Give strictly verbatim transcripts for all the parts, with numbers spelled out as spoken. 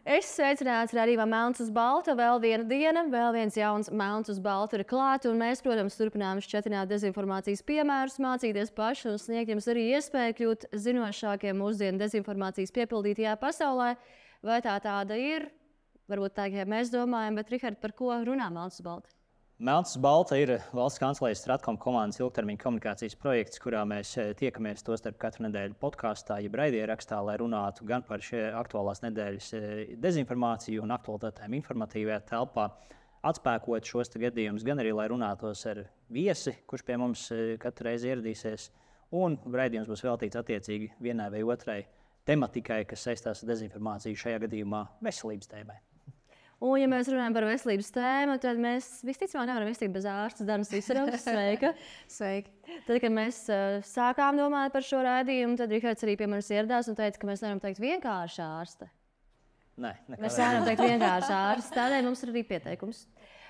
Es sveicināts rādījumā Melns uz Balta. Vēl viena diena, vēl viens jauns Melns uz Balta ir klāt. Un mēs, protams, turpinām šķietināt dezinformācijas piemērus, mācīties paši un sniegt jums arī iespēju kļūt zinošākiem mūsdienu dezinformācijas piepildītajā pasaulē. Vai tā tāda ir? Varbūt tā, kā mēs domājam, bet, Rihard, par ko runā Melns uz Balta? Melns uz Balta ir valsts kancelejas Stratkom komandas ilgtermiņa komunikācijas projekts, kurā mēs tiekamies tostarp katru nedēļu podkāstā, jeb raidierakstā, lai runātu gan par šie aktuālās nedēļas dezinformāciju un aktualitātēm informatīvajā telpā, atspēkot šos gadījumus, gan arī, lai runātos ar viesi, kurš pie mums katru reizi ieradīsies, un raidījums būs veltīts attiecīgi vienai vai otrai tematikai, kas saistās ar dezinformāciju, šajā gadījumā veselības tēmai. Un, ja mēs runājam par veselības tēmu, tad mēs visticamāk nevaram iztikt bez ārstas Danas Visarovas. Sveika! Sveiki! Tad, kad mēs uh, sākām domāt par šo raidījumu, tad Rihards arī pie manis ieradās un teica, ka mēs nevaram teikt vienkārši ārste. Nē, mēs nevaram teikt vienkārši ārste, tādēļ mums ir arī pieteikums.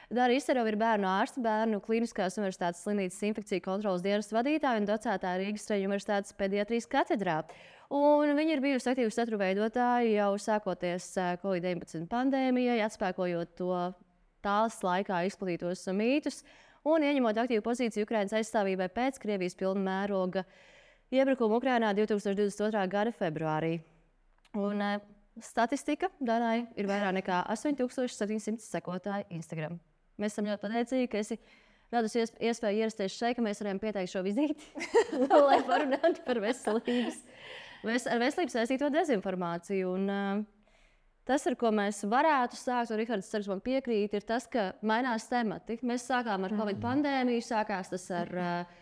Dana Visarova ir bērnu ārste, bērnu Kliniskās universitātes slimnīcas infekciju kontroles dienesta vadītāja un docētā Rīgas Traģu universitātes pediatrijas katedrā. Un viņa ir bijusi aktīva saturu veidotāja jau sākoties covid deviņpadsmit pandēmijai, atspēkojot to tās laikā izplatītos mītus un ieņemot aktīvu pozīciju Ukrainas aizstāvībai pēc Krievijas pilna mēroga iebrukuma Ukrainā divtūkstoš divdesmit otrā gada februārī. Un statistika Danai ir vairāk nekā astoņi tūkstoši septiņi simti sekotāji Instagram. Mēs esam ļoti pateicīgi, ka esi radusi iespēju ierasties šeit, ka mēs varam pieteikt šo vizīti, lai parunātu par veselības. Ar veselību saistīto dezinformāciju. Un, uh, tas, ar ko mēs varētu sākt, un Rihards ceru, man piekrīt, ir tas, ka mainās temati. Mēs sākām ar covid pandēmiju, sākās tas ar uh,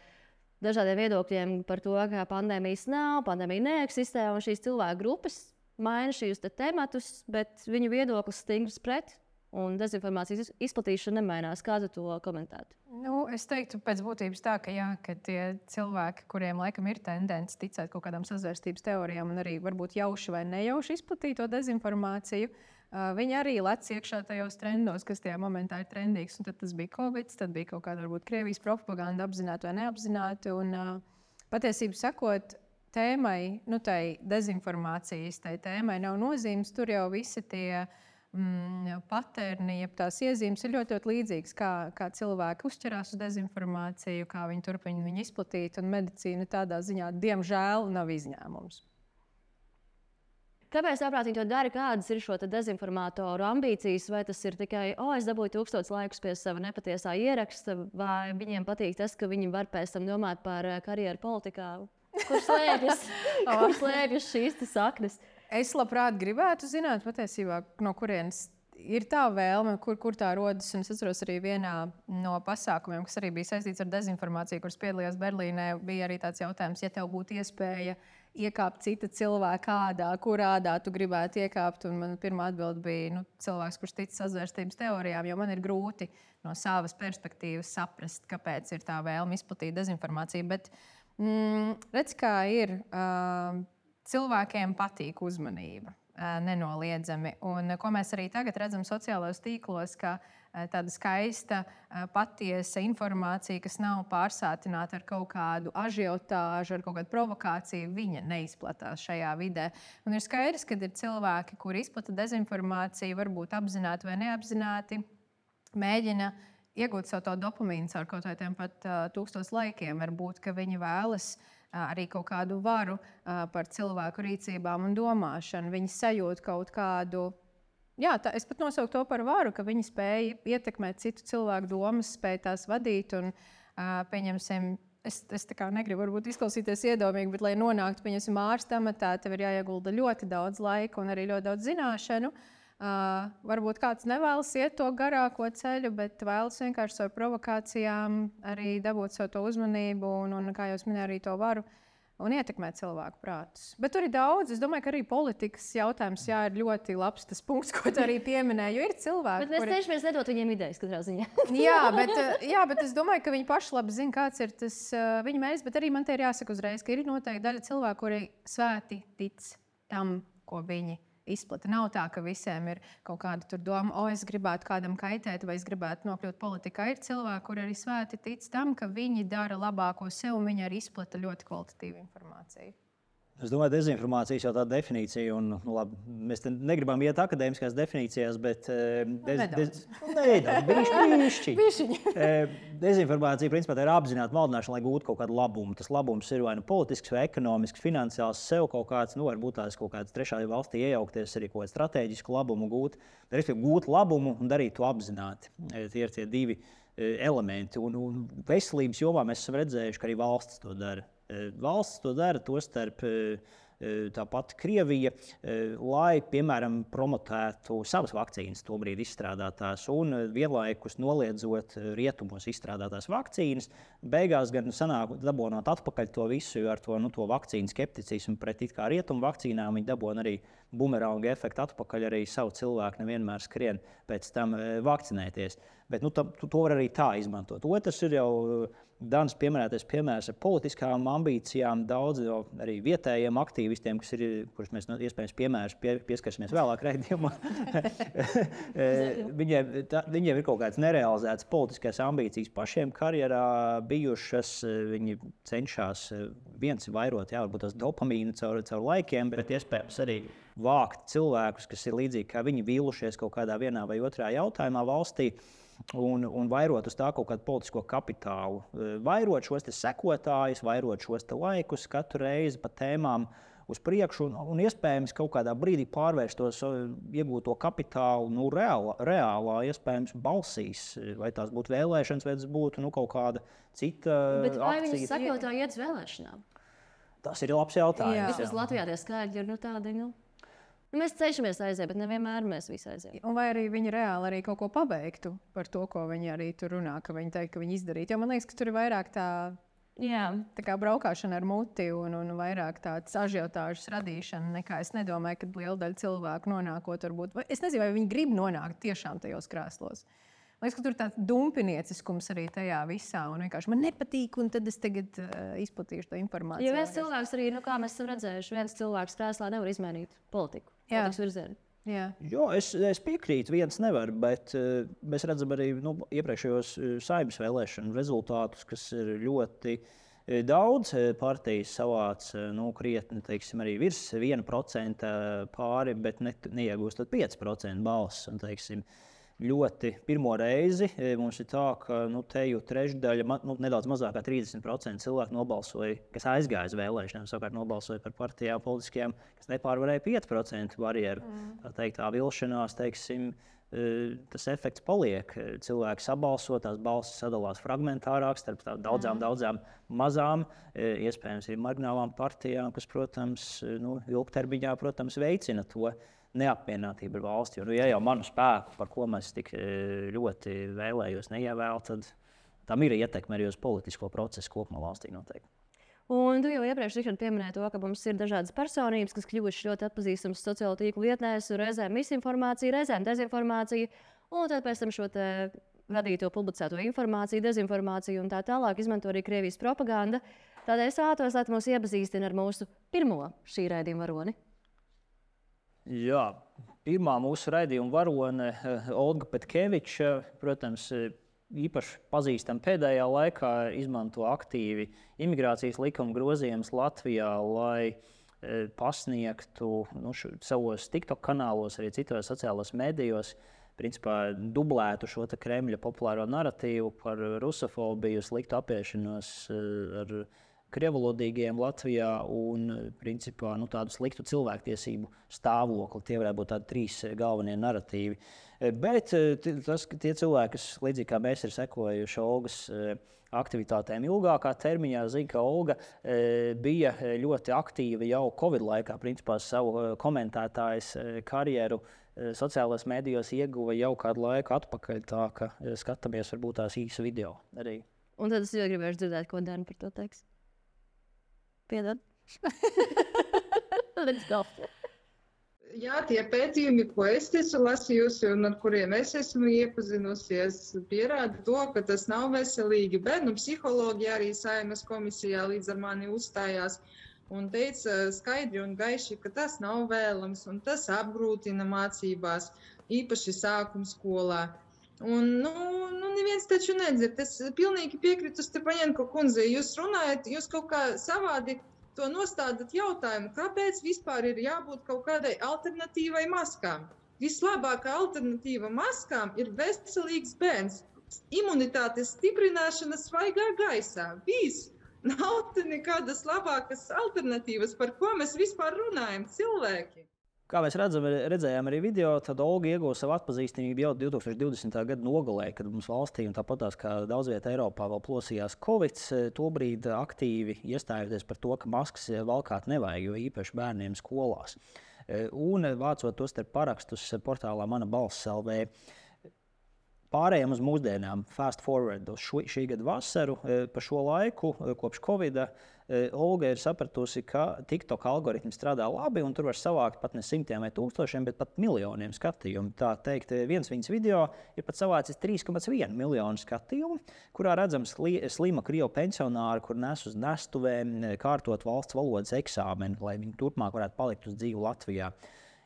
dažādiem viedokļiem par to, ka pandēmijas nav, pandēmija neeksistē, un šīs cilvēku grupas maina šīs te tematus, bet viņu viedoklis stingrs pret. Un dezinformācijas izplatīšana nemainās. Kā tu to komentētu? Nu, es teiktu, pēc būtības tā, ka, jā, ka tie cilvēki, kuriem laikam ir tendence ticēt kaut kādām sazvērstības teorijām un arī varbūt jauši vai nejauši izplatīt to dezinformāciju, uh, viņi arī lec iekšā tajos trendos, kas tajā momentā ir trendīgs. Un tad tas bija Covid, tad bija kaut kāda varbūt Krievijas propaganda, apzināti vai neapzināti. Un, uh, patiesību sakot, tēmai, nu, tai dezinformācijas tai tēmai nav nozīmes. Tur jau visi tie Mm, paterni, ja tās iezīmes ir ļoti, ļoti līdzīgas, kā, kā cilvēki uzķerās uz dezinformāciju, kā viņi turpina viņu izplatīt, un medicīna tādā ziņā, diemžēl, nav izņēmums. Kāpēc tāprāt viņi to dara? Kādas ir šo dezinformātoru ambīcijas? Vai tas ir tikai, o, es dabūju tūkstotis laikus pie sava nepatiesā ieraksta, vai viņiem patīk tas, ka viņi var pēc tam domāt par karjeru politikā? Kur slēpjas, kur slēpjas šīs saknes? Es labprāt gribētu zināt, patiesībā, no kurienes ir tā vēlme, kur, kur tā rodas. Un es atceros arī vienā no pasākumiem, kas arī bija saistīts ar dezinformāciju, kuras piedalījās Berlīnē, bija arī tāds jautājums, ja tev būtu iespēja iekāpt cita cilvēka ādā, kur ādā tu gribētu iekāpt. Un man pirmā atbilde bija nu, cilvēks, kurš tic sazvērstības teorijām, jo man ir grūti no savas perspektīvas saprast, kāpēc ir tā vēlme izplatīt dezinformāciju. Bet mm, redz, kā ir. Uh, Cilvēkiem patīk uzmanība, nenoliedzami. Un, ko mēs arī tagad redzam sociālajos tīklos, ka tāda skaista, patiesa informācija, kas nav pārsātināta ar kaut kādu ažiotāžu, ar kaut kādu provokāciju, viņa neizplatās šajā vidē. Un ir skaidrs, ka ir cilvēki, kuri izplata dezinformāciju, varbūt apzināti vai neapzināti, mēģina iegūt savu to dopamīnu caur kaut kādiem pat uh, tūkstos laikiem. Varbūt, ka viņi vēlas uh, arī kaut kādu varu uh, par cilvēku rīcībām un domāšanu. Viņi sajūt kaut kādu, jā, tā, es pat nosaucu to par varu, ka viņi spēja ietekmēt citu cilvēku domas, spēja tās vadīt un, uh, pieņemsim, es, es tā kā negribu varbūt izklausīties iedomīgi, bet, lai nonāktu, pieņemsim, ārsta amatā, tev ir jāiegulda ļoti daudz laika un arī ļoti daudz zināšanu. Uh, varbūt kāds nevēlas iet to garāko ceļu, bet vēlas vienkārši ar provokācijām arī dabūt savu to uzmanību un, un kā jau es minēju, arī to varu un ietekmēt cilvēku prātus. Bet tur ir daudz. Es domāju, ka arī politikas jautājums jā, ir ļoti labs tas punkts, ko tu arī pieminēji, jo ir cilvēki, bet mēs kuri... cenšamies nedot viņiem idejas katrā ziņā. jā, bet, jā, bet es domāju, ka viņi paši labi zina, kāds ir tas uh, viņa mērķis, bet arī man te ir jāsaka uzreiz, ka ir noteikti daļa cilvēku, kuri svēti tic tam, ko viņi izplata. Nav tā, ka visiem ir kaut kāda tur doma, o, es gribētu kādam kaitēt vai es gribētu nokļūt politikā. Ir cilvēki, kuri arī svēti tic tam, ka viņi dara labāko sev un viņi arī izplata ļoti kvalitatīvu informāciju. Es domāju, dezinformācijas jau tāda definīcija, un nu, labi, mēs negribam iet akadēmiskās definīcijās, bet dez, dez, nedaudz, bišķiņi. Dezinformācija principā tā ir apzināta maldināšana, lai gūtu kaut kādu labumu. Tas labums ir vai nu politisks, vai ekonomisks, finansiāls, sev kaut kāds, nu varbūt tās kaut kāds trešā valstī iejaukties, arī kaut kādu strateģisku labumu gūt, respektīvi gūt labumu un darīt to apzināti. Tie ir tie divi elementi, un, un veselības jomā mēs esam redzējuši, ka arī valsts to dara. Valsts to dara, tostarp tāpat Krievija, lai, piemēram, promotētu savas vakcīnas tobrīd izstrādātās un vienlaikus noliedzot rietumos izstrādātās vakcīnas. Beigās gan sanāk dabonot atpakaļ to visu, jo ar to, nu, to vakcīnu skepticismu pret it kā rietumu vakcīnām viņi dabon arī bumeranga efektu atpakaļ, arī savu cilvēku nevienmēr skrien pēc tam vakcinēties. Bet nu, to, to var arī tā izmantot. Otrs ir jau Dans pieminētais piemērs ar politiskām ambīcijām, daudz arī vietējiem aktīvistiem, kas ir, kurus mēs iespējams piemērus pie, pieskarsimies vēlāk raidījumā. viņiem, tā, viņiem ir kaut kādas nerealizētas politiskās ambīcijas pašiem karjerā bijušas. Viņi cenšas viens vairot, jā, varbūt tas dopamīnu caur, caur laikiem, bet iespējams arī vākt cilvēkus, kas ir līdzīgi kā viņi vīlušies kaut kādā vienā vai otrā jautājumā valstī. Un, un vairot uz tā kaut kādu politisko kapitālu. Vairot šos te sekotājus, vairot šos te laikus katru reizi pa tēmām uz priekšu un, un iespējams kaut kādā brīdī pārvērst tos iegūto kapitālu nu, reālā, reālā, iespējams balsīs. Vai tās būtu vēlēšanas, vai tas būtu nu, kaut kāda cita Bet vai akcija. viņi sekotāji iet uz vēlēšanām? Tas ir labs jautājums. Vismaz Latvijā tie skaļi ir nu, tādi, nu... Nu, mēs cenšamies aiziet, bet nevienmēr mēs visi aiziet. Un vai arī viņi reāli arī kaut ko pabeigtu par to, ko viņi arī tur runā, ka viņi teikt, ka viņi izdarītu. Jo man liekas, ka tur ir vairāk tā, jā, tā kā braukāšana ar muti un, un vairāk tāds ažiotāžas radīšana, nekā es nedomāju, ka liela daļa cilvēku nonākot varbūt. Es nezinu, vai viņi grib nonākt tiešām tajos krēslos. Man liekas, ka tur ir tāds dumpinieciskums arī tajā visā. Un vienkārši man nepatīk, un tad es tagad uh, izplatīšu to informāciju. Jo viens cilvēks arī, nu, kā mēs esam redzējuši, viens cilvēks krēslā nevar izmainīt politiku. Jā. Politikas virzienu. Jā. Jo, es, es piekrītu, viens nevar, bet uh, mēs redzam arī nu, iepriekšējos uh, Saeimas vēlēšanu rezultātus, kas ir ļoti uh, daudz partijas savāc, uh, nu, krietni, teiksim, arī virs viena procenta pāri, bet ne, neiegūstot pieci procenti balss. Un, teiksim, ļoti pirmo reizi mums ir tā, ka nu, te jau trešdaļa, nu, nedaudz mazāk kā trīsdesmit procenti cilvēku nobalsoja, kas aizgāja uz vēlēšanām, savukārt nobalsoja par partijām politiskajām, kas nepārvarēja pieci procenti barjeru. Mm. Tā teikt, tā vilšanās, teiksim, tas efekts paliek. Cilvēki sabalso, tās balsis sadalās fragmentārāk starp daudzām, daudzām mazām, iespējams arī marginālām partijām, kas, protams, nu, ilgtermiņā, protams, veicina to neapmierinātība ar valsti. Jo, nu, ja jau manu spēku, par ko mēs tik ļoti vēlējos, neievēl, tad tam ir ietekme arī uz politisko procesu kopumā valstī noteikti. Un tu jau iepriekš pieminēji to, ka mums ir dažādas personības, kas kļuvušas ļoti atpazīstamas sociālo tīklu vietnēs, reizēm misinformācija, reizēm dezinformācija, un tad pēc tam šo te radīto, publicēto informāciju, dezinformāciju un tā tālāk izmanto arī Krievijas propaganda. Tādēļ es vēlētos, lai mūs iepazīstina ar mūsu pirmo šī raidījuma varoni. Jā, pirmā mūsu raidījuma varone, Olga Petkeviča, protams, īpaši pazīstama pēdējā laikā, izmanto aktīvi imigrācijas likuma grozījumus Latvijā, lai pasniegtu nu, šo, savos TikTok kanālos, arī citos sociālos medijos, principā dublētu šo Kremļa populāro naratīvu par rusofobiju, sliktu apiešanos ar krievulodīgiem Latvijā un principā, nu, tādu sliktu cilvēktiesību stāvokli. Tie varētu būt tādi trīs galvenie naratīvi. Bet tas, tie cilvēki, kas līdzīgi kā mēs ir sekojuši Olgas aktivitātēm ilgākā termiņā, zina, ka Olga bija ļoti aktīva jau Covid laikā. Principā savu komentētājas karjeru sociālajos medijos ieguva jau kādu laiku atpakaļ, tā ka skatāmies varbūt tās īsu video arī. Un tad es jau gribēšu dzirdēt, ko Dana par to teiks. Piedod. Jā, tie pētījumi, ko es esmu lasījusi un ar kuriem es esmu iepazinusies, pierāda to, ka tas nav veselīgi. Bērnu psihologi arī Saeimas komisijā līdz ar mani uzstājās un teica skaidri un gaiši, ka tas nav vēlams un tas apgrūtina mācībās, īpaši sākuma skolā. Un, nu, nu, neviens taču nedzird. Es pilnīgi piekritu Stepaņenko kundzei. Jūs runājat, jūs kaut kā savādi to nostādat jautājumu, kāpēc vispār ir jābūt kaut kādai alternatīvai maskām. Vislabākā alternatīva maskām ir veselīgs bērns. Imunitātes stiprināšana svaigā gaisā. Viss. Nav te nekādas labākas alternatīvas, par ko mēs vispār runājam, cilvēki. Kā mēs redzam, redzējām arī video, tad Olga ieguva savu atpazīstamību jau divtūkstoš divdesmitā gada nogalē, kad mums valstī un tāpatās kā daudz vietā Eiropā vēl plosījās Covid. Tobrīd aktīvi iestājoties par to, ka maskas valkāt nevajag, jo īpaši bērniem skolās. Un vācot tos starp parakstus portālā Mana balss L V. Pārējām uz mūsdienām, fast forward uz šo, šī gada vasaru, pa šo laiku, kopš Covida, Olga ir sapratusi, ka TikTok algoritmi strādā labi, un tur var savākt pat ne simtiem vai tūkstošiem, bet pat miljoniem skatījumu. Tā teikt, viens viņas video ir pat savācis trīs komats viens miljonu skatījumu, kurā redzams sli, slima krievu pensionāri, kur nes uz nestuvēm kārtot valsts valodas eksāmeni, lai viņi turpmāk varētu palikt uz dzīvu Latvijā.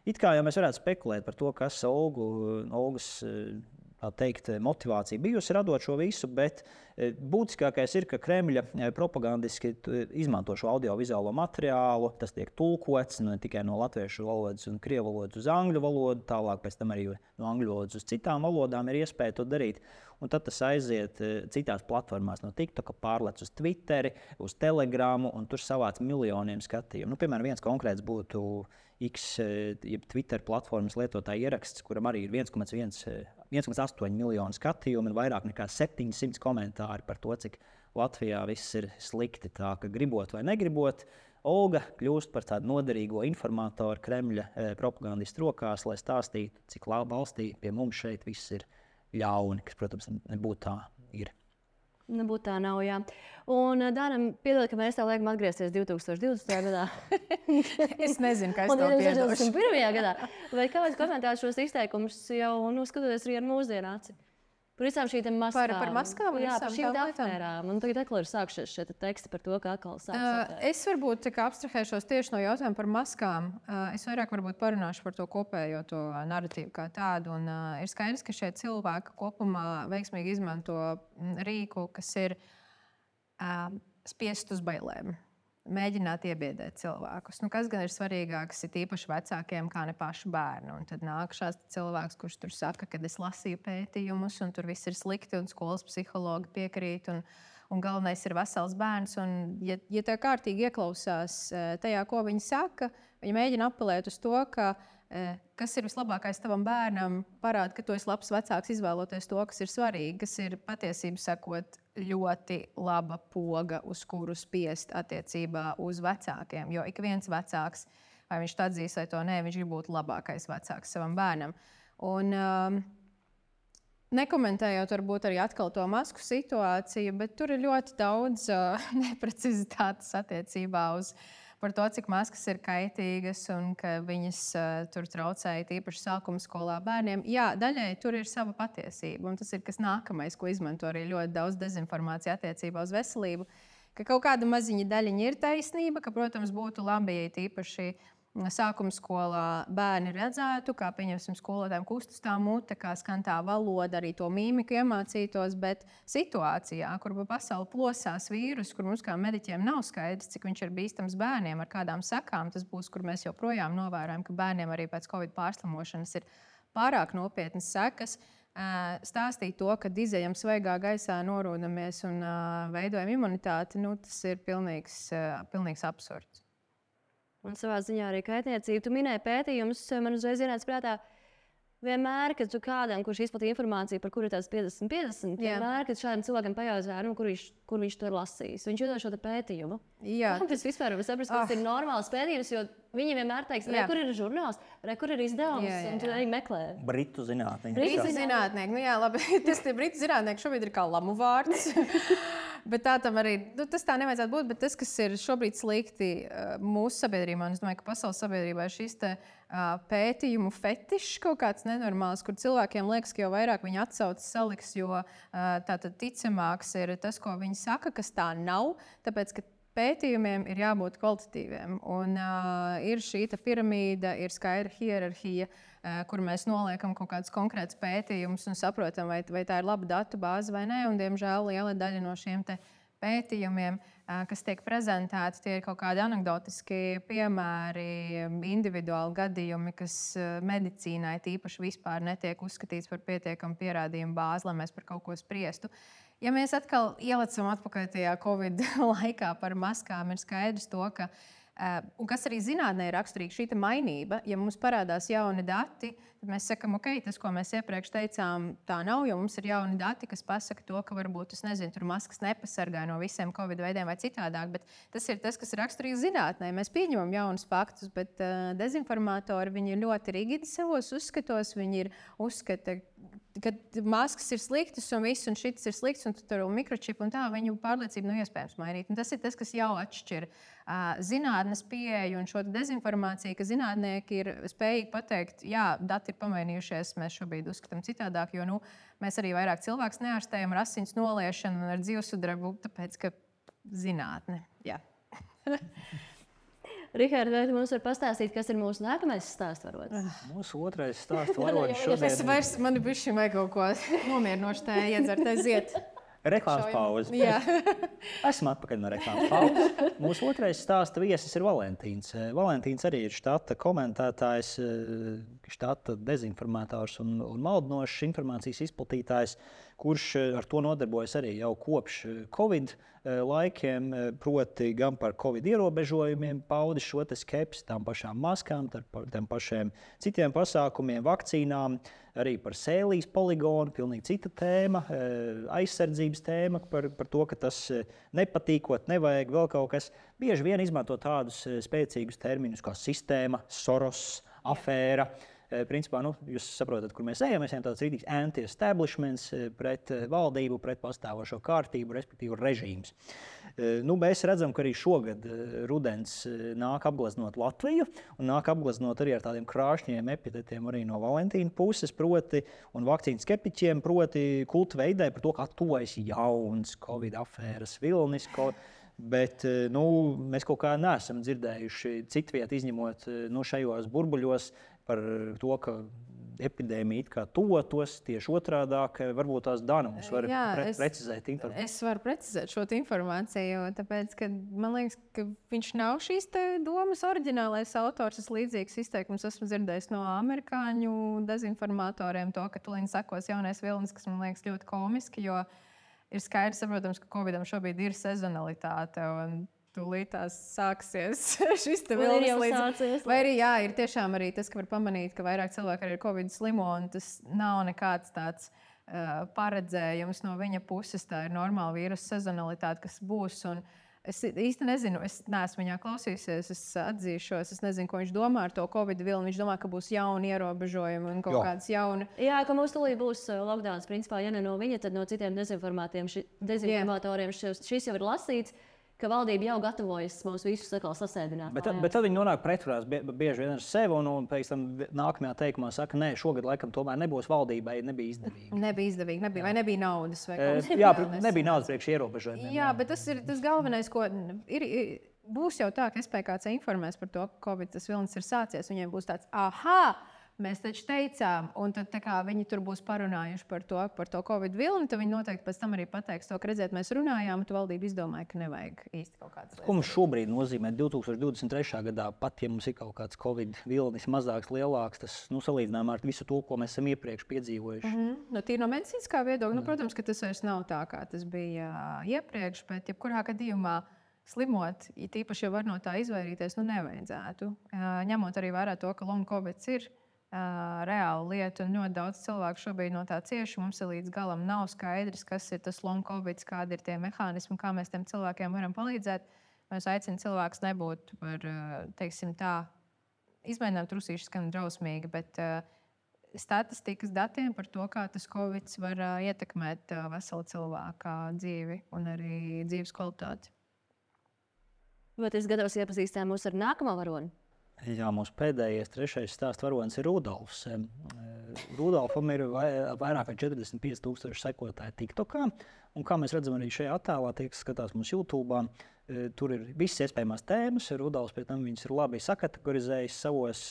It kā jau mēs varētu spekulēt par to, kas Olgu, Olgas tā teikt, motivācija bijusi radot šo visu, bet būtiskākais ir, ka Kremļa propagandiski izmanto šo audiovizuālo materiālu. Tas tiek tulkots ne tikai no latviešu valodas un krievu valodas uz angļu valodu, tālāk pēc tam arī no angļu valodas uz citām valodām ir iespēja to darīt. Un tad tas aiziet citās platformās, no TikToka pārlec uz Twitteri, uz Telegramu, un tur savāc miljoniem skatījumu. Nu, piemēram, viens konkrēts būtu X, jeb Twitter platformas lietotāja ieraksts, kuram arī ir viens komats astoņi miljonu skatījumu un vairāk nekā septiņsimt komentāri par to, cik Latvijā viss ir slikti. Tā ka gribot vai negribot, Olga kļūst par tādu noderīgo informatoru Kremļa propagandistu rokās, lai stāstītu, cik valstī pie mums šeit viss ir ļauni, kas, protams, nebūtu tā ir. Nebūtu tā nav, jā. Un, Dānam, piedod, ka mēs tā liekam atgriezties divtūkstoš divdesmitajā gadā. Es nezinu, kā es to piedošu. Un divtūkstoš pirmajā gadā. Vai kāds komentēs šos izteikumus jau, nu, skatoties arī ar mūsdienu aci? Par visām šīm maskām. Par, par maskām un jā, visām par šīm tām afērām. Un tagad atkal ir sākušies šie teksti par to, ka atkal sāks. Uh, es varbūt tā kā abstrahēšos tieši no jautājuma par maskām. Uh, es vairāk varbūt parunāšu par to kopējo to narratīvu kā tādu. Un, uh, ir skaidrs, ka šie cilvēki kopumā veiksmīgi izmanto rīku, kas ir uh, spiest uz bailēm. Mēģināt iebiedēt cilvēkus. Nu, kas gan ir svarīgāks, ir īpaši vecākiem, kā ne paši bērni. Un tad nāk šāds cilvēks, kurš tur saka, ka es lasīju pētījumus, un tur viss ir slikti, un skolas psihologi piekrīt, un, un galvenais ir vesels bērns. Un, ja, ja tā kārtīgi ieklausās tajā, ko viņi saka, viņi mēģina apelēt uz to, ka kas ir vislabākais tavam bērnam, parāda, ka tu esi labs vecāks izvēloties to, kas ir svarīgi, kas ir patiesību sakot ļoti laba poga, uz kuru spiest attiecībā uz vecākiem. Jo ik viens vecāks, vai viņš to atzīs vai to nē, viņš grib būt labākais vecāks savam bērnam. Un um, nekomentējot varbūt arī atkal to masku situāciju, bet tur ir ļoti daudz uh, neprecizitātes attiecībā uz par to, cik maskas ir kaitīgas un ka viņas uh, tur traucēja tīpaši sākuma skolā bērniem. Jā, daļai tur ir sava patiesība, un tas ir kas nākamais, ko izmanto arī ļoti daudz dezinformācija attiecībā uz veselību, ka kaut kāda maziņa daļiņa ir taisnība, ka, protams, būtu labi, ja tīpaši sākuma skolā bērni redzētu, kā pieņemsim skolotājiem kustas tā mute, kā skan tā valoda, arī to mīmiku iemācītos, bet situācijā, kur pa pasauli plosās vīrus, kur mums kā mediķiem nav skaidrs, cik viņš ir bīstams bērniem, ar kādām sekām tas būs, kur mēs joprojām novērojam, ka bērniem arī pēc Covid pārslimošanas ir pārāk nopietnas sekas, stāstīt to, ka izejam svaigā gaisā, norūdamies un veidojam imunitāti, nu, tas ir pilnīgs, pilnīgs absurds. Un savā ziņā arī kaitniecība. Tu minēji pētījumus, man uzreiz ienāca prātā, vienmēr, kad tu kādam, kurš izplatīja informāciju, par kuru ir tās piecdesmit piecdesmit, vienmēr, kad šādam cilvēkam pajautā, nu, kur, viņš, kur viņš to ir lasījis, viņš iedod šo pētījumu. Jā. Tas vispār var saprast, ka tas oh. ir normāls pētījums, jo viņi vienmēr teiks, re, kur ir žurnāls, re, kur ir izdevums, jā, jā. Un tu arī meklē. Britu zinātnieki. Britu zinātnieki, nu jā, labi, tas tie Britu zinātnieki šobrīd ir kā lamu vārds. Bet tā tam arī, nu, tas tā nevajadzētu būt, bet tas, kas ir šobrīd slikti mūsu sabiedrībā, un es domāju, ka pasaules sabiedrībā ir šis te uh, pētījumu fetišs kaut kāds nenormāls, kur cilvēkiem liekas, ka jau vairāk viņi atsaucas saliks, jo uh, tātad ticamāks ir tas, ko viņi saka, kas tā nav, tāpēc, ka pētījumiem ir jābūt kvalitatīviem. Un uh, ir šī piramīda, ir skaidra hierarhija, uh, kur mēs noliekam kaut kādus konkrētus pētījumus un saprotam, vai, vai tā ir laba datu bāze vai nē. Un, diemžēl, liela daļa no šiem te pētījumiem kas tiek prezentēti, tie ir kaut kādi anekdotiski piemēri, individuāli gadījumi, kas medicīnai tīpaši vispār netiek uzskatīts par pietiekamu pierādījumu bāzi, lai mēs par kaut ko spriestu. Ja mēs atkal ielicam atpakaļ tajā Covid laikā par maskām, ir skaidrs to, ka Uh, un kas arī zinātnē ir raksturīga šī mainība, ja mums parādās jauni dati, tad mēs sakām, ok, tas, ko mēs iepriekš teicām, tā nav, jo mums ir jauni dati, kas pasaka to, ka varbūt, es nezinu, tur maskas nepasargā no visiem Covid veidiem vai citādāk, bet tas ir tas, kas ir raksturīgs zinātnē. Mēs pieņemam jaunus faktus, bet uh, dezinformatori, viņi ir ļoti rigidi savos uzskatos, viņi ir uzskata, ka maskas ir sliktas un viss, un šis ir slikts, un tur ir mikročipi un tā, viņu pārliecību nav iespējams mainīt. Un tas ir tas, kas jau atšķir uh, zinātnes pieeju un šo dezinformāciju, ka zinātnieki ir spējīgi pateikt, jā, dati ir pamainījušies, mēs šobrīd uzskatām citādāk, jo nu, mēs arī vairāk cilvēks neārstējam ar asins noliešanu un ar dzīvesudrabu, tāpēc, ka zinātne, jā. Rihards, vai tu mums var pastāstīt, kas ir mūsu nākamais stāstvaronis? Mūsu otrais stāstvaronis šodien... Es vairs, man ir bišķi vajag kaut ko nomierinoši tā iedzert, aiziet. Reklāmas pauze. Jā. Esam atpakaļ no reklāmas pauzes. Mūsu otrais stāsta viesis ir Valentīns. Valentīns arī ir štata komentētājs, štata dezinformētājs un, un maldinošs informācijas izplatītājs, kurš ar to nodarbojas arī jau kopš Covid laikiem, proti gan par Covid ierobežojumiem, paudis šo skepsi, tām pašām maskām, tām pašiem citiem pasākumiem, vakcīnām, arī par sēlijas poligonu, pilnīgi cita tēma, aizsardzības tēma, par, par to, ka tas nepatīkot, nevajag vēl kaut kas. Bieži vien izmanto tādus spēcīgus terminus kā sistēma, Soros, afēra. Principā, nu, jūs saprotat, kur mēs ejam. Mēs ejam tāds rītīgs anti-establishments pret valdību, pret pastāvošo kārtību, respektīvi režīms. Nu, mēs redzam, ka arī šogad rudens nāk apgleznot Latviju un nāk apgleznot arī ar tādiem krāšņiem epitetiem arī no Valentīna puses, proti, un vakcīnu skeptiķiem, proti kultu veidē par to, kā tuvojas jauns Covid afēras vilnis. Ko, bet nu, mēs kaut kā neesam dzirdējuši citviet, izņemot nu, šajos burbuļos, par to, ka epidēmija it kā tuvotos tieši otrādāk. Varbūt tās Dana mums var Jā, pre- es, precizēt informāciju. Es varu precizēt šo informāciju, tāpēc, ka man liekas, ka viņš nav šīs domas oriģinālais autors. Es līdzīgs izteikums esmu dzirdējis no amerikāņu dezinformatoriem, to, ka tūlīt sakos jaunais vilnis, kas man liekas ļoti komiski, jo ir skaidrs, saprotams, ka Covidam šobrīd ir sezonalitāte un tūlīt tās sāksies šis te vilnis līdz... Vai arī, jā, ir tiešām arī tas, ka var pamanīt, ka vairāk cilvēki arī ir Covid slimo, un tas nav nekāds tāds uh, paredzējums no viņa puses. Tā ir normāla vīrusu sezonalitāte, kas būs. Un es īsti nezinu, es neesmu viņā klausījusies, es atzīšos, es nezinu, ko viņš domā ar to Covid vilni. Viņš domā, ka būs jauni ierobežojumi un kaut jo. kāds jauni... Jā, ka mums tūlīt būs lockdowns. Principā, ja ne no viņa, tad no citiem dezinformatoriem šis, šis jau ir lasīts. Ka valdība jau gatavojas mums visus atkal sasēdināt. Bet, bet tad viņi nonāk pretrunās bieži vien ar sevi, un, un pēc tam nākamajā teikumā saka, nē, šogad laikam tomēr nebūs valdībai, nebija izdevīgi. Nebija izdevīgi, nebija, vai nebija naudas. Vai e, jā, nebija naudas priekš ierobežojumiem. Jā, bet tas ir tas galvenais, ko ir, ir, būs jau tā, ka S P K C informēs par to, ka Covid tas vilnis ir sācies, viņiem būs tāds, aha! Mēs taču teicām, un tad kā, viņi tur būs parunājuši par to, par to Covid vilni, tad viņi noteikti pēc tam arī pateiks to, ka redziet, mēs runājām, un tu valdība izdomāja, ka nevajag īsti kaut kādas lietas. Ko mums šobrīd nozīmē divi tūkstoši divdesmit trešā gadā, pat ja mums ir kaut kāds Covid vilnis mazāks, lielāks, tas nu, salīdzinājumā ar visu to, ko mēs esam iepriekš piedzīvojuši? Mm-hmm. Nu, tīri no medicīniskā viedokļa, nu, protams, ka tas vairs nav tā, kā tas bija iepriekš, bet jebkurā gadījumā slimot, ja tīpaši jau var no tā izvairīties, nu nevajadzētu. Ņemot arī vērā to, ka long Covid ir Uh, reāla lieta, un ļoti daudz cilvēku šobrīd no tā cieši. Mums līdz galam nav skaidrs, kas ir tas long Covid, kādi ir tie mehānismi, kā mēs tiem cilvēkiem varam palīdzēt. Mēs aicinām cilvēkus nebūt par, teiksim tā, izmēģinām trusīši skan drausmīgi, bet uh, statistikas datiem par to, kā tas Covid var uh, ietekmēt uh, veselu cilvēku dzīvi un arī dzīves kvalitāti. Vai tas gatavs iepazīstināt mūs ar nākamo varoni? Jā, mūsu pēdējais, trešais stāsta varonis ir Rudolfs. Rudolfam ir vairāk kā četrdesmit pieci tūkstoši sekotāji TikTokā. Un kā mēs redzam arī šajā attēlā, tie, kas skatās mums YouTube, Tur ir visas iespējamās tēmas. Rudolfs pēc tam viņas ir labi sakategorizējis savos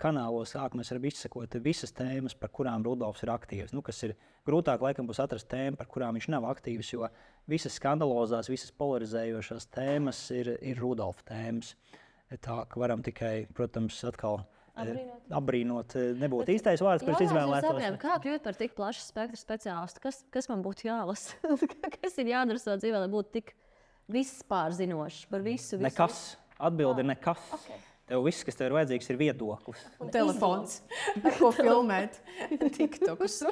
kanālos. Sāk mēs varam izsekot visas tēmas, par kurām Rudolfs ir aktīvs. Nu, kas ir grūtāk, laikam, būs atrast tēmu, par kurām viņš nav aktīvs, jo visas skandalozās, visas polarizējošās tēmas ir, ir Rudolfa tēmas. Tā ka varam tikai, protams, atkal Abrīnot. Abrīnot nebūtu īstais vārds, kurš izvēlētos. Kā kļūt par tik plašu spektru speciālistu? Kas, kas man būtu jālasa? Kas ir jādara savā dzīvē, lai būtu tik vispārzinošs par visu? visu nekas. Atbilde ir nekas. Okay. Tev viss, kas tev ir vajadzīgs, ir viedoklis. Un telefons, ar ko filmēt tiktokus.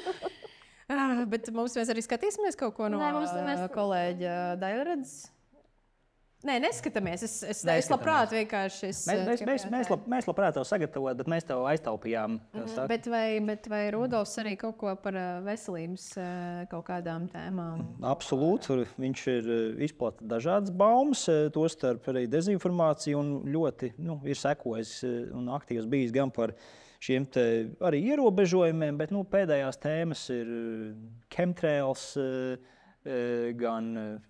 Ah, bet mums mēs arī skatīsimies kaut ko no Nē, mums, mēs... kolēģa Dailredzes. Nē, neskatāmies. Es, es, neskatāmies. es labprāt vienkārši... Es, mēs, mēs, mēs, mēs, lab, mēs labprāt tev sagatavot, bet mēs tev aiztaupījām. Mm-hmm. Bet vai, bet vai Rudolfs arī kaut ko par veselības kaut kādām tēmām? Absolūti. Viņš ir izplata dažādas baumas, tostarp arī dezinformāciju un ļoti nu, ir sekojis un aktīvs bijis gan par šiem te arī ierobežojumiem, bet nu, pēdējās tēmas ir chemtrails, gan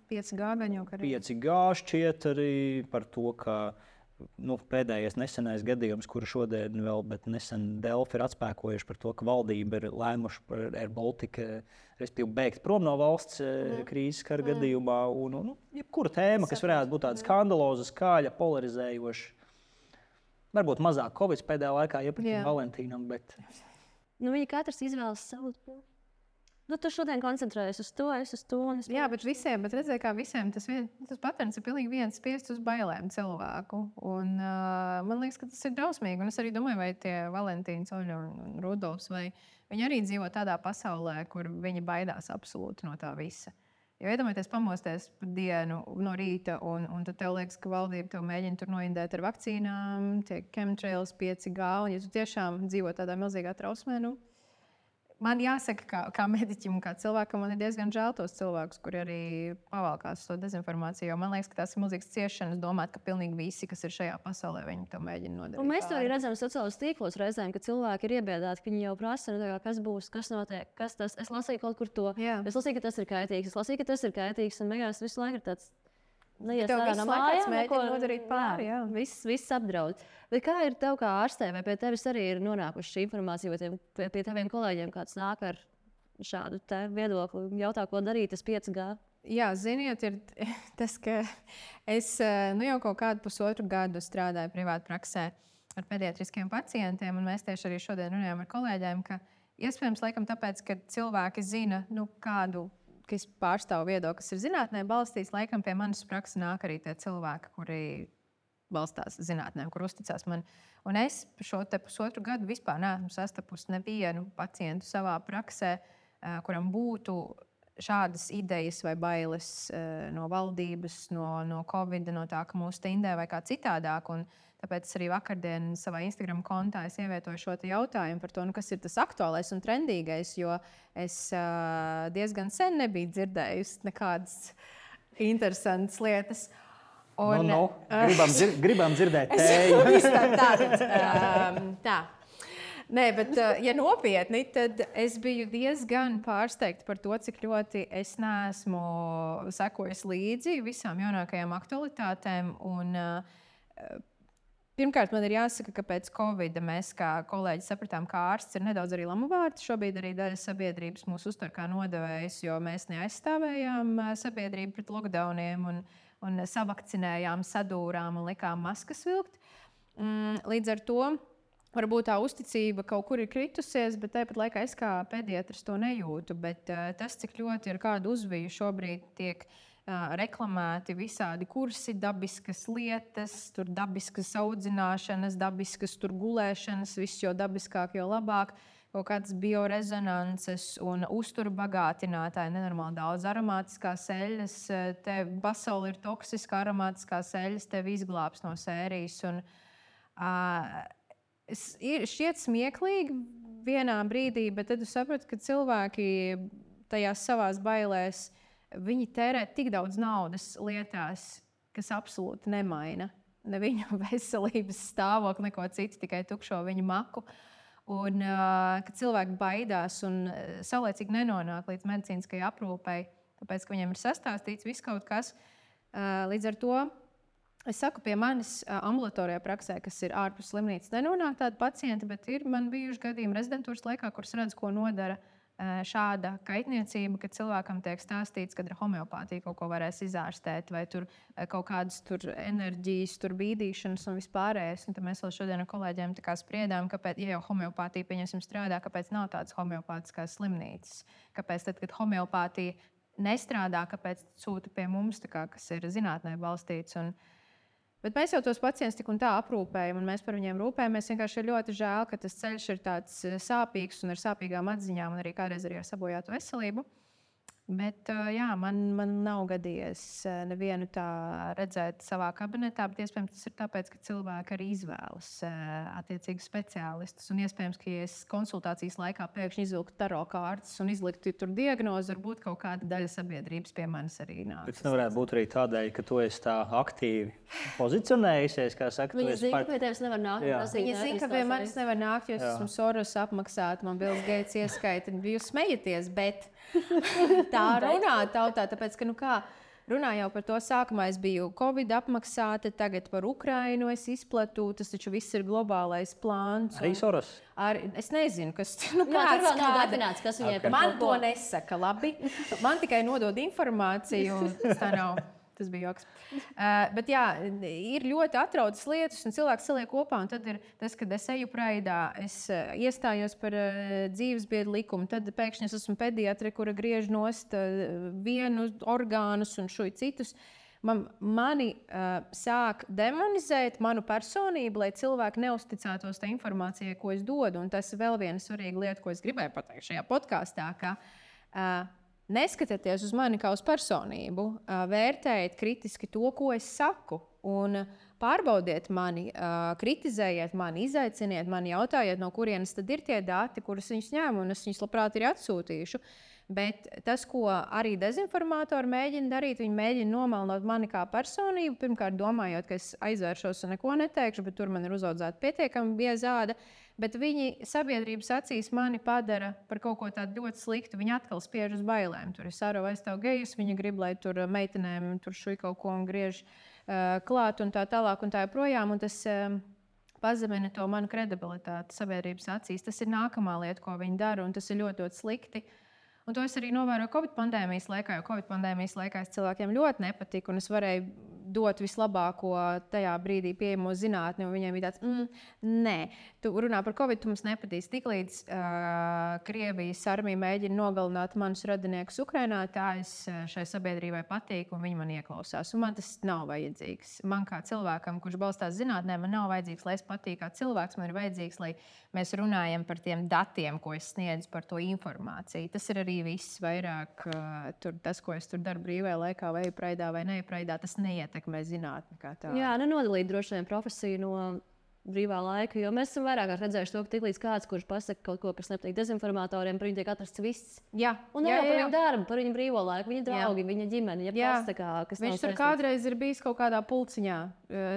pieci G, gan jau arī. pieci G šķiet arī par to, ka nu, pēdējais nesenais gadījums, kuru šodien vēl, bet nesen Delfi ir atspēkojuši par to, ka valdība ir lēmuši par Air Baltica, respektīvi beigt prom no valsts mm. krīzes kara mm. gadījumā. Un, un, jebkura tēma, kas varētu būt tāda skandaloza, skaļa, polarizējoša. Varbūt mazāk Covid pēdējā laikā iepratīja Valentīnam, bet... Nu, viņi katrs izvēlas savu... Nu, tu šodien koncentrējies uz to, es uz to. Es Jā, bet visiem, bet redzēju, kā visiem tas, vien, tas patērns ir pilnīgi viens spiests uz bailēm cilvēku. Un uh, man liekas, ka tas ir drausmīgi. Un es arī domāju, vai tie Valentīns, Oļa un Rudolfs, vai viņi arī dzīvo tādā pasaulē, kur viņi baidās absolūti no tā visa. Jo iedomājieties pamosties par dienu no rīta, un, un tad tev liekas, ka valdība tev mēģina tur noindēt ar vakcīnām, tie chemtrails, pieci G, un ja tu tiešām dzīvo tādā milzīgā trausmē, nu, man jāsaka, kā, kā mediķim un kā cilvēkam, man ir diezgan žēl tos cilvēkus, kuri arī pavalkās to dezinformāciju. Jo man liekas, ka tās ir milzīgas ciešanas domāt, ka pilnīgi visi, kas ir šajā pasaulē, viņi to mēģina nodarīt. Un mēs to arī redzam sociālos tīklos reizēm, ka cilvēki ir iebiedāti, ka viņi jau prasa, kas būs, kas notiek, kas tas. Es lasīju kaut kur to. Jā. Es lasīju, ka tas ir kaitīgs. Es lasīju, ka tas ir kaitīgs. Un beigās visu laiku ir tāds... Neies ārā no mājām, mēģina nodarīt pāri. Jā, viss, viss apdraud. Bet kā ir tev kā ārstē, vai pie tevis arī ir nonākuši šī informācija, vai tiem, pie, pie taviem kolēģiem kāds nāk ar šādu te viedokli, jautā, ko darīt, tas pieci G? Jā, ziniet, ir tas, ka es nu, jau kaut kādu pusotru gadu strādāju privātu praksē ar pediatriskiem pacientiem, un mēs tieši arī šodien runājam ar kolēģiem, ka iespējams laikam tāpēc, ka cilvēki zina, nu, kādu ka es pārstāvu viedokli, kas ir zinātnē balstīts, laikam pie manas prakses nāk arī tie cilvēki, kuri balstās zinātnē, kur uzticās man. Un es šo te pusotru gadu vispār neesmu sastapusi nevienu pacientu savā praksē, kuram būtu šādas idejas vai bailes no valdības, no, no Covid, no tā, ka mūs tindē vai kā citādāk. Un tāpēc es arī vakardien savā Instagram kontā es ievietoju šo jautājumu par to, nu, kas ir tas aktuālais un trendīgais, jo es uh, diezgan sen nebiju dzirdējusi nekādas interesantas lietas. Un, no, no. Gribam, dzir gribam dzirdēt tēju. tā, um, tā. Nē, bet, ja nopietni, tad es biju diezgan pārsteigta par to, cik ļoti es neesmu sekojis līdzi visām jaunākajām aktualitātēm. Un, uh, Pirmkārt, man ir jāsaka, ka pēc Covid mēs kā kolēģi sapratām, ka ārsts ir nedaudz arī lamuvārds. Šobrīd arī daļa sabiedrības mūs uztver kā nodevējs, jo mēs neaizstāvējām sabiedrību pret lockdowniem un, un savakcinējām, sadūrām un likām maskas vilkt. Līdz ar to varbūt tā uzticība kaut kur ir kritusies, bet tāpat laikā es kā pediatrs to nejūtu. Bet tas, cik ļoti ar kādu uzviju šobrīd tiek reklamēti visādi kursi, dabiskas lietas, tur dabiskas audzināšanas, dabiskas tur gulēšanas, viss jau dabiskāk, jo labāk, kaut kādas biorezonances un uzturu bagātinātāji, nenormāli daudz aromātiskās eļas, tev pasauli ir toksiska aromātiskās eļas, tev izglābs no sērijas. Un, uh, ir šķiet smieklīgi vienā brīdī, bet tad tu saprati, ka cilvēki tajās savās bailēs viņi tērē tik daudz naudas lietās, kas absolūti nemaina ne viņu veselības stāvokli, neko citu, tikai tukšo viņu maku. Un uh, ka cilvēki baidās un saulēcīgi nenonāk līdz medicīniskajai aprūpei, tāpēc, ka viņiem ir sastāstīts viss kaut kas. Līdz ar to es saku, pie manis ambulatorijā praksē, kas ir ārpus slimnīcas, nenonāk tādi pacienti, bet ir man bijuši gadījumi rezidentūras laikā, kuras redz, ko nodara šāda kaitniecība, kad cilvēkam tiek stāstīts, ka ar homeopātiju kaut ko varēs izārstēt, vai tur kaut kādas tur enerģijas, tur bīdīšanas un vispārējais. Un tad mēs vēl šodien ar kolēģiem tā kā spriedām, kāpēc, ja jau homeopātija pieņemsim strādā, kāpēc nav tādas homeopātiskās slimnīcas. Kāpēc tad, kad homeopātija nestrādā, kāpēc sūta pie mums, tā kā, kas ir zinātnē balstīts. Un, bet mēs jau tos pacientus tik un tā aprūpējam, un mēs par viņiem rūpējamies. Vienkārši ir ļoti žēl, ka tas ceļš ir tāds sāpīgs un ar sāpīgām atziņām, un arī kādreiz arī ar sabojātu veselību. Bet jā, man, man nav gadījies nevienu tā redzēt savā kabinetā, bet iespējams tas ir tāpēc, ka cilvēki arī izvēlas attiecīgus speciālistus. Un iespējams, ka ja es konsultācijas laikā pēkšņi izvilktu taro kārtas un izliktu tur diagnozi, varbūt kaut kāda daļa sabiedrības pie manis arī nāk. Bet tas nevarētu būt arī tādēļ, ka tu esi tā aktīvi pozicionējusies, kā saka, Viņi zina, par... ka pie tevis nevar nākt. Viņi zina, ka pie manis nevar nākt, jo es esmu Soros apmaksāta, man Bills Gates ieskaita, jūs smejaties, bet tā runā tautā, tāpēc, ka, nu kā, runā jau par to sākumā, es biju Covid apmaksāta, tagad par Ukrainu es izplatu, tas taču viss ir globālais plāns. Arī Soros? Ar, es nezinu, kas, nu, Jā, kāds, tur vēl nav definēts, kas viņai par man to nesaka, labi. Man tikai nodod informāciju, tas tā nav. Tas bija joks. Uh, bet jā, ir ļoti atrautas lietas, un cilvēks saliek kopā. Tad ir tas, kad es eju praidā, es uh, iestājos par uh, dzīvesbiedru likumu. Tad pēkšņi es esmu pediatre, kura griež nost uh, vienu orgānus un šuj citus. Man, mani uh, sāk demonizēt manu personību, lai cilvēki neusticētos tai informācijai, ko es dodu. Un tas ir vēl viena svarīga lieta, ko es gribēju pateikt šajā podkāstā. Ka, uh, Neskatieties uz mani kā uz personību, vērtējiet kritiski to, ko es saku, un pārbaudiet mani, kritizējiet mani, izaiciniet mani, jautājiet, no kurienes tad ir tie dati, kurus viņus ņēmu, un es viņus labprāt arī atsūtīšu. Bet tas, ko arī dezinformatori mēģina darīt, viņi mēģina nomelnot mani kā personību, pirmkārt domājot, ka es aizvēršos un neko neteikšu, bet tur man ir uzaudzēta pietiekami bieza āda. Bet viņi sabiedrības acīs mani padara par kaut ko tādu ļoti sliktu. Viņi atkal spiež uz bailēm. Tur ir Sārova aizstāv gejus, viņi grib, lai tur meitenēm tur šuj kaut ko un griež uh, klāt un tā tālāk un tā joprojām. Un tas uh, pazemina to manu kredibilitāti sabiedrības acīs. Tas ir nākamā lieta, ko viņi dara, un tas ir ļoti, ļoti slikti. Un to es arī novēroju Covid pandēmijas laikā, jo Covid pandēmijas laikā es cilvēkiem ļoti nepatika, un es varēju dot vislabāko tajā brīdī pieejamo zinātni, un viņiem bija tāds, mm, nē, tu runā par Covid, tu mums nepatīs. Tiklīdz uh, Krievijas armija mēģina nogalināt manus radiniekus Ukrainā, tā es šai sabiedrībai patīku, un viņi man ieklausās. Un man tas nav vajadzīgs. Man kā cilvēkam, kurš balstās zinātnē, man nav vajadzīgs, lai es patīku kā cilvēks. Man ir vajadzīgs, lai mēs runājam par tiem datiem, ko es sniedzu, par to informāciju. Tas ir arī viss vairāk, uh, tur, tas, ko es tur daru brīvajā laikā, vai praidā vai nepraidā, tas neietekmē zinātni kā tādu. Jā, nenodalīt droši vien profesiju no brīvā laika, jo mēs esam vairāk redzējuši to, ka tiklīdz kāds, kurš pasaka kaut ko, kas nepatīk dezinformatoriem, par viņu tiek atrasts viss. Jā, un jā, jā, jā, par jā. viņu darbu, par viņu brīvo laiku, viņa draugi, jā. Viņa ģimeni, ja jā. Kas, kā, kas viņš tur kādreiz ir bijis kaut kādā pulciņā,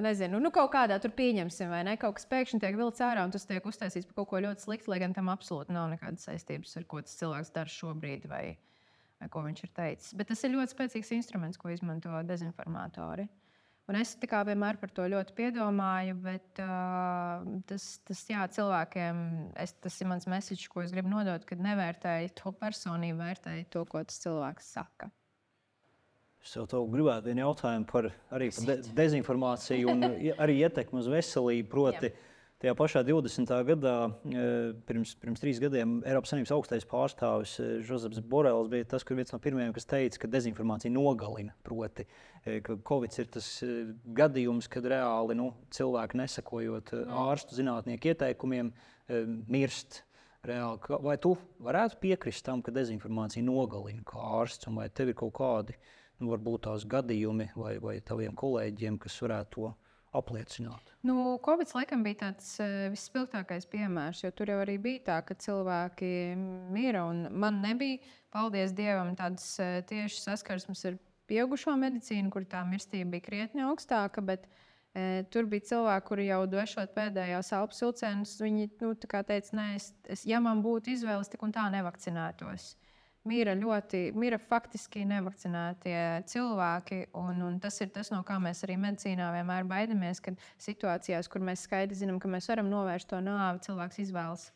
nezinu, nu kaut kādā tur pieņemsim, vai ne, kaut kas pēkšņi tiek vilts ārā un tas tiek uztaisīts par kaut ko ļoti sliktu, lai gan tam absolūti nav nekādas saistības ar ko tas cilvēks dara šobrīd vai, vai ko viņš ir teicis. Bet tas ir ļoti spēcīgs instruments, ko izmanto dezinformatori. Un es tā kā vienmēr par to ļoti piedomāju, bet uh, tas, tas jā, cilvēkiem, es, tas ir mans message, ko es gribu nodot, kad nevērtēju to personību, vērtēju to, ko tas cilvēks saka. Es tev gribētu vienu jautājumu par, arī par de dezinformāciju un arī ietekmi uz veselību. Proti, jā. Tajā pašā divdesmitā gadā, pirms, pirms trīs gadiem, Eiropas Savienības augstais pārstāvis Žozeps Borels bija tas, kur viens no pirmajiem, kas teica, ka dezinformācija nogalina. Proti, ka Covid ir tas gadījums, kad reāli nu, cilvēki nesakojot ārstu zinātnieku ieteikumiem, mirst reāli. Vai tu varētu piekrist tam, ka dezinformācija nogalina kā ārsts, un vai tev ir kaut kādi, nu, varbūt tās gadījumi vai, vai taviem kolēģiem, kas varētu to apliecināt? Nu, Covid laikam bija tāds uh, visspilgtākais piemērs, jo tur jau arī bija tā, ka cilvēki mira, un man nebija, paldies Dievam, tādas uh, tieši saskarsmes ar pieaugušo medicīnu, kur tā mirstība bija krietni augstāka, bet uh, tur bija cilvēki, kuri jau dvešot pēdējās elpas vilcienus, viņi nu, tā kā teica, nē, es, es, ja man būtu izvēles, tik un tā nevakcinētos. mira ļoti, mira faktiski nevakcinētie cilvēki, un, un tas ir tas, no kā mēs arī medicīnā vienmēr baidamies, kad situācijās, kur mēs skaidri zinām, ka mēs varam novērst to nāvi, cilvēks izvēlas,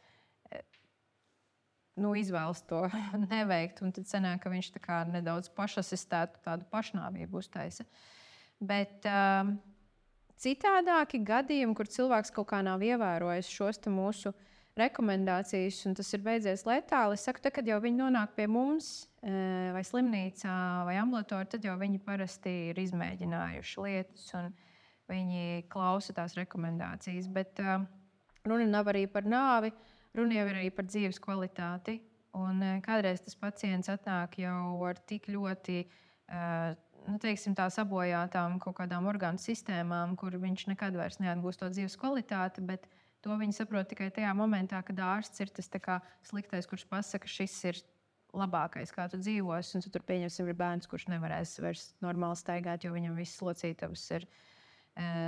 nu, izvēlas to neveikt, un tad sanāk, ka viņš tā kā nedaudz pašasistētu tādu pašnāvību uztaisa. Bet um, citādāki gadījumi, kur cilvēks kaut kā nav ievērojis šos te mūsu rekomendācijas, un tas ir beidzies letāli. Es saku, tā, kad jau viņi nonāk pie mums, vai slimnīcā, vai ambulatorā, tad jau viņi parasti ir izmēģinājuši lietas, un viņi klausa tās rekomendācijas. Bet uh, runa nav arī par nāvi, runa jau ir arī par dzīves kvalitāti. Un uh, kādreiz tas pacients atnāk jau ar tik ļoti uh, nu, teiksim, tā sabojātām kaut kādām orgānu sistēmām, kur viņš nekad vairs neatgūst to dzīves kvalitāti, bet to viņi saprot tikai tajā momentā, kad ārsts ir tas kā sliktais, kurš pasaka, ka šis ir labākais, kā tu dzīvos. Un tu tur pieņemsim, ir bērns, kurš nevarēs vairs normāli staigāt, jo viņam viss locītavas ir e,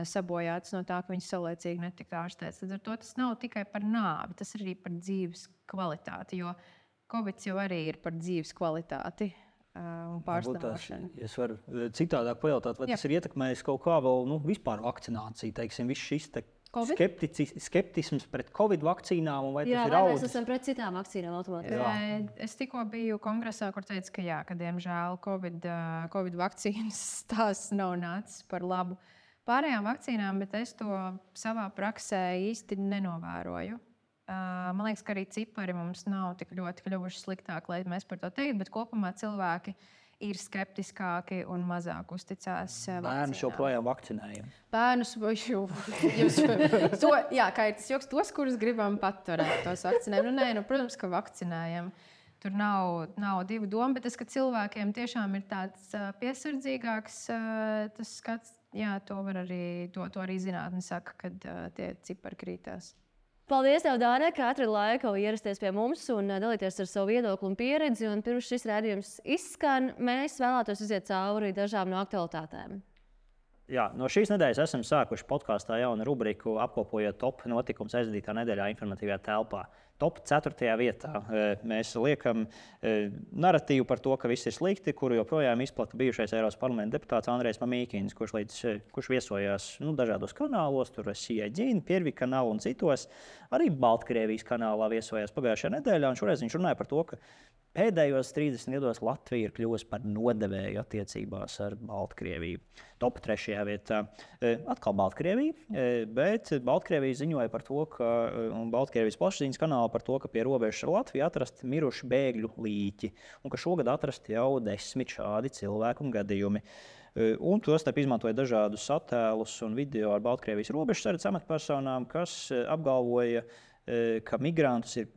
sabojātas no tā, ka viņš saulēcīgi netika ārstēts. Tad ar to tas nav tikai par nāvi, tas ir arī par dzīves kvalitāti, jo Covid jau arī ir par dzīves kvalitāti. Un pārstāvošanu. Es varu citādāk pajautāt, vai Jā. Tas ir ietekmējis kaut kā vēl nu, vispār vakcināciju, teiksim, viss šis te skeptici, skeptisms pret Covid vakcīnām, vai jā, tas ir vai audzis? Mēs esam pret citām vakcīnām automātiski. Es tikko biju kongresā, kur teica, ka jā, ka diemžēl Covid, Covid vakcīnas tās nav nācis par labu pārējām vakcīnām, bet es to savā praksē īsti nenovēroju. Man liekas, ka arī cipari mums nav tik ļoti kļuvuši sliktāki, lai mēs par to teiktu, bet kopumā cilvēki ir skeptiskāki un mazāk uzticās vakcīnām. Bērnus joprojām vakcinējam. Bērnus jau to, jā, kā ir tas joks, tos, kurus gribam paturēt, tos vakcinējam. Nu, nē, nu, protams, ka vakcinējam. Tur nav, nav divu domu, bet tas, ka cilvēkiem tiešām ir tāds piesardzīgāks tas skats, jā, to var arī, to, to arī zinātne saka, kad tie cipari krītās. Paldies, tev, Dāne, ka atradi laiku ierasties pie mums un dalīties ar savu viedokli un pieredzi. Un pirms šis rādījums izskan, mēs vēlētos iziet cauri dažām no aktualitātēm. Jā, no šīs nedēļas esam sākuši podkāstā jaunu rubriku, apkopojot top notikumus aizvadītā nedēļā informatīvajā telpā. Top ceturtajā vietā mēs liekam naratīvu par to, ka viss ir slikti, kuru joprojām izplata bijušais Eiropas parlamenta deputāts Andrejs Mamīkins, kurš, līdz, kurš viesojās nu, dažādos kanālos, tur C I G, Piervi kanālu un citos. Arī Baltkrievijas kanālā viesojās pagājušajā nedēļā, un šoreiz viņš runāja par to, ka pēdējos trīsdesmit gados Latvija ir kļuvusi par nodevēju attiecībās ar Baltkrieviju. Top trešajā vietā atkal Baltkrievija, bet Baltkrievija ziņoja par to, ka, un Baltkrievijas plašsaziņas kanālā par to, ka pie robežas ar Latviju atrasti miruši bēgļu līķi, un ka šogad atrasti jau desmit šādi cilvēku un gadījumi. Un tostarp izmantoja dažādus attēlus un video ar Baltkrievijas robežsardzes amatpersonām, kas apgalvoja, ka migrantus ir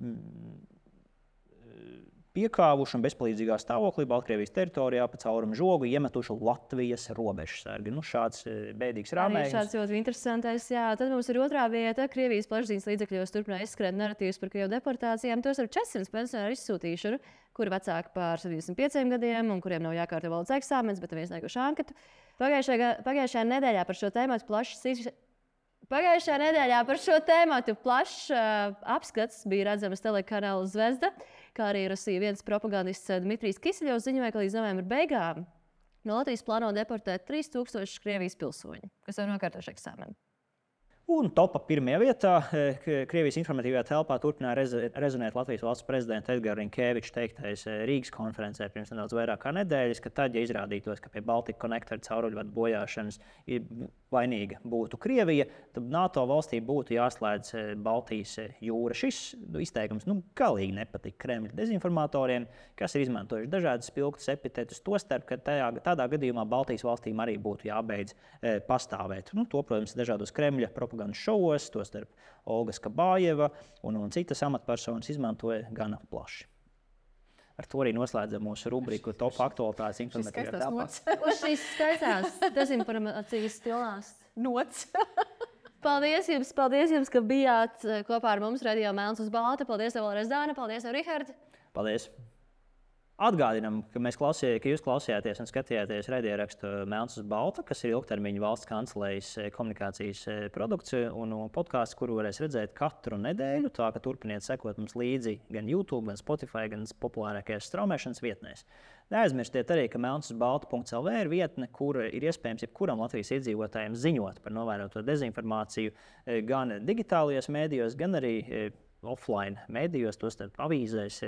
piekāvuši un bezpalīdzīgā stāvoklī Baltkrievijas teritorijā pa caurumu žogu iemetuši Latvijas robežsargi. Nu, šāds bēdīgs rāmējums. Šāds ļoti interesantais, jā. Tad mums ir otrā vieta. Krievijas plašsaziņas līdzekļos turpināja izskrēt narratīvas par Krievu deportācijām. Tos ar četrsimt pensionāru izsūtīšanu, kuri vecāki pār septiņdesmit pieciem gadiem un kuriem nav jākārto valsts eksāmens, bet ir iesnieguši anketu. Pagājušajā, pagājušajā nedēļā par šo tēmatu plašs Pagājušajā nedēļā par šo tēmatu plašs uh, apskats bija redzams telekanāla Zvezda, kā arī Rusija viens propagandists Dmitrijs Kiseļovs ziņoja, ka līdz novembra beigām no Latvijas plāno deportēt trīs tūkstoši Krievijas pilsoņu, kas jau nokārtojuši eksāmenu. Un topā pirmajā vietā Krievijas informatīvajā telpā turpināja rezonēt Latvijas valsts prezidenta Edgara Rinkēviča teiktais Rīgas konferencē pirms nedaudz vairāk kā nedēļas, ka tad, ja izrādītos, ka pie Baltic Connector cauruļvadu bojāšanas vainīga būtu Krievija, tad NATO valstī būtu jāslēdz Baltijas jūra. Šis izteikums nu, galīgi nepatika Kremļa dezinformatoriem, kas ir izmantojuši dažādas spilgtas epitetus, tostarp, ka tajā, tādā gadījumā Baltijas valstīm arī būtu jābeidz e, pastāvēt. Nu, to, protams, dažādos Kremļa propagandas šovos, tostarp Olga Skabājeva un, un citas amatpersonas izmantoja gana plaši. Ar to arī noslēdzam mūsu rubriku Top aktualitātes informatīvajā telpā. Uz šīs skaistās dezinformācijas stilās. Nots. Paldies jums, paldies jums, ka bijāt kopā ar mums Radio Melns uz Balta. Paldies tev vēlreiz, Dāna. Paldies tev, Rihards. Paldies. Atgādinām, ka, mēs klausījā, ka jūs klausījāties un skatījāties raidierakstu Melns uz balta, kas ir ilgtermiņa valsts kancelējas komunikācijas produkts un podkāsts, kuru varēs redzēt katru nedēļu. Tā ka turpiniet sekot mums līdzi gan YouTube, gan Spotify, gan populārākajās straumēšanas vietnēs. Neaizmirstiet arī, ka melns uz balta punkts el vē ir vietne, kur ir iespējams jebkuram Latvijas iedzīvotājiem ziņot par novēroto dezinformāciju gan digitālajos mēdījos, gan arī offline mēdījos, tostarp avīzēs,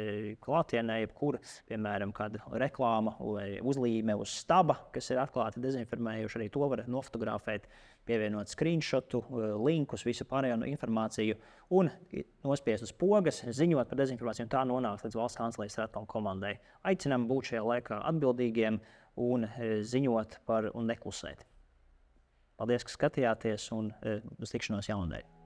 klātienē, jebkura, piemēram, kāda reklāma vai uzlīme uz staba, kas ir atklāti dezinformējuši, arī to var nofotografēt, pievienot screenshotu, linkus, visu pārējo informāciju un nospiest uz pogas, ziņot par dezinformāciju, un tā nonāks līdz valsts kancelejas Stratkom komandai. Aicinām būt šajā laikā atbildīgiem un ziņot par un neklusēt. Paldies, ka skatījāties, un uz tikšanos jaunadēļ!